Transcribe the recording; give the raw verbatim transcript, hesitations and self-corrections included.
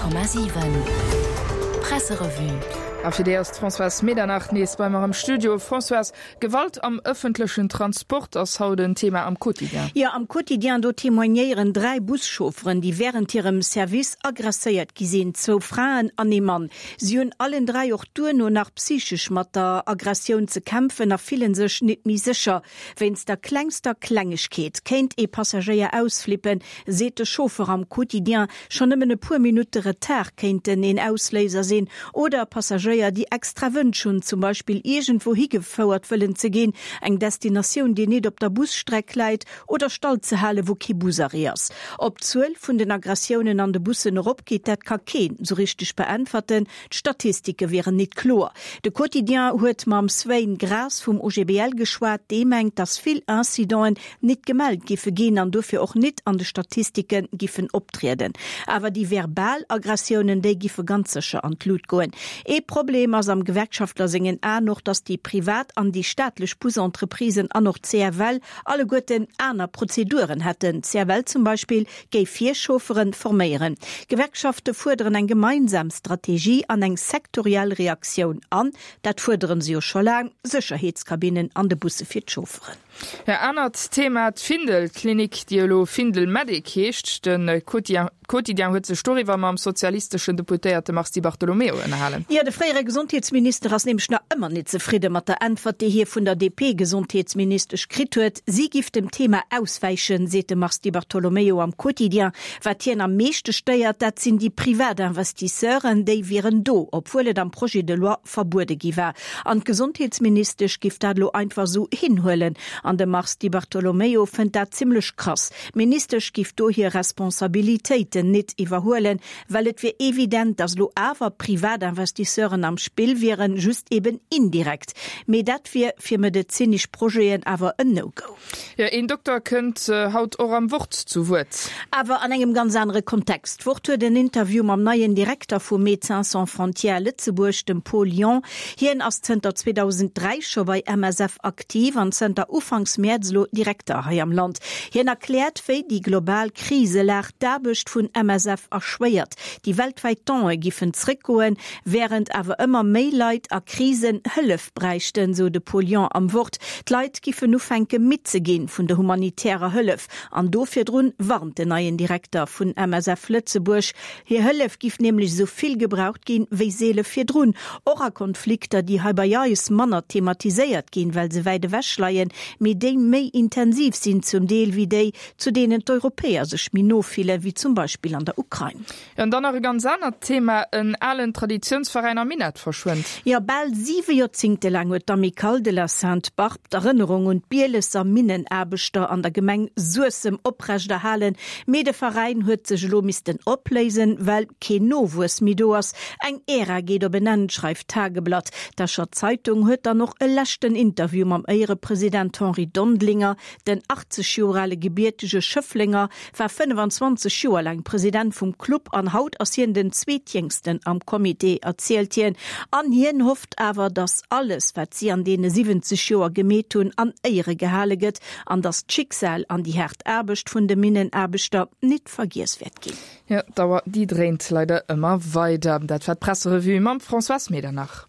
Komma siwen Presserevue. A fir déi ass d'Françoise Medernach nees bei mer am Studio. Françoise, Gewalt am ëffentlechen Transport ass haut en Thema am Quotidien. Jo, am Quotidien, do témoignéieren dräi Buschaufferen, déi wärend hirem Service agresséiert gi sinn, zwou Fraen an ee Mann. Si hunn allen dräi och duerno nach psychesch mat der Aggressioun ze kämpfen a fillen sech nit méi sécher. Wéinst der klengster Klengegkeet kéint ee Passagéier ausflippen, seet de Chauffeur am Quotidien. Schonn nëmmen e puer Minutte Retard kéinten een Ausléiser sinn. Oder Passagéier, déi extra Wënsch hunn, zum Beispill iergendwou higefouert wëllen ze ginn, eng Destinatioun, déi nit op der Busstreck läit, oder Stall ze halen, wou kee Busarrêt ass. Ob d'Zuel vun den Aggressiounen an de Bussen eropgeet, dat ka keen sou richteg beäntwerten, d'Statistike wieren nit kloer. De Quotidien huet mam Sven Graas vum O G B L geschwat, dee mengt, datt vill Incidenten nit gemellt giffe ginn an dofir och nit an de Statistike giffen optrieden. Awer déi verbal Aggressiounen, déi giffe ganz sécher an d'Lut goen. Ee Problem ass am Gewerkschaftler sengen Aen och, datt déi privat an déi staatlech Busentreprisen an och d'C F L alleguerten aner Prozeduren hätten. D'C F L zum Beispill géif hir Chaufferen forméieren. D'Gewerkschafte fuerderen eng gemeinsam Strategie an eng sektoriell Reaktioun an, dat fuerderen se jo scho laang, Sécherheetskabinnen an de Busse fir d'Chaufferen. Ja, anert Thema, d'Findel-Klinik, déi elo Findel Medic heescht. De Quotidien huet sech doriwwer mam sozialisteschen Deputéierte Mars Di Bartolomeo ënnerhalen. Jo, de fréiere Gesondheetsminister ass nämlech nach ëmmer net zefridde mat der Äntwert, déi hie vun der D P-Gesondheetsministesch kritt huet. Si giff dem Thema auswäichen, seet de Mars Di Bartolomeo am Quotidien. Wat hien am meeschte stéiert, dat sinn déi privat Investisseuren, déi wieren do, obwuel et am Projet de loi verbuede gi war. An d'Gesondheetsministesch giff dat elo einfach esou hinhuelen. An de Mars Di Bartolomeo fënnt dat zimlech krass. D'Ministesch giff do hir Responsabilitéiten nit iwwerhuelen, well et wier evident, datt elo awer privat Investisseuren am Spill wieren, just eben indirekt. Mee dat wier fir medezinesch Projeten awer en No-Go. Jo, een Dokter kënnt haut och am Wort zu Wuert. Awer an engem ganz anere Kontext. D'Wort huet en Interview mam neien Direkter vu Médecins Sans Frontières Lëtzebuerg, dem Paul Yon. Hien ass zënter zweedausenddräi scho bei M S F aktiv an zënter Ufanks Mäerz elo Direkter hei am Land. Hien erkläert, wéi déi global Kriselag d'Aarbecht vun M S F erschwéiert. Déi weltwäit Done giffen zréckgoen, wärend awer ëmmer méi Leit a Krisen Hëllef bräichten, sou de Paul Yon am Wort. D'Leit giffen ufänke mitzeginn vun der humanitärer Hëllef. An do virdrun warnt den neien Direkter vun M S F Lëtzebuerg. Hir Hëllef giff nämlech sou vill gebraucht ginn, wéi seele virdrun. Och a Konflikter, déi hei bei eis manner thematiséiert ginn, well se wäit ewech leien, mee déi méi intensiv sinn zum Deel wéi déi, zu deenen d'Europäer sech méi no fillen, wéi zum Beispill an der Ukrain. Ja, an dann nach e ganz anert Thema, en alen Traditiounsveräin am Minett verschwënnt. Ja, bal siwe Joerzéngte laang huet d'Amicale de la Sainte-Barbe d'Erënnerung un d'Bielesser Minnenaarbechter an der Gemeng Suessem oprechterhalen, mee de Veräin huet sech elo missten opléisen, well keen Nowuess méi do ass. Eng Ära geet op en Enn, schreift d'Tageblatt. D'Escher Zeitung huet dann och e leschten Interview mam Éierepresident Henri Dondlinger. Den achtzeg Joer ale gebiertege Schëfflenger war fënnefanzwanzeg Joer laang President vum Club an haut ass hien den zweetjéngsten am Comité, erzielt hien. An hien hofft awer, datt alles, wat si an deene siwwenzeg Joer gemeet hunn, an Éiere gehale gëtt an datt d'Schicksal an déi haart Aarbecht vun de Minnenaarbechter nit vergiess wäert ginn. Ja, d'Dauer, déi dréint leider ëmmer weider. Dat war d'Presserevue mam Françoise Medernach.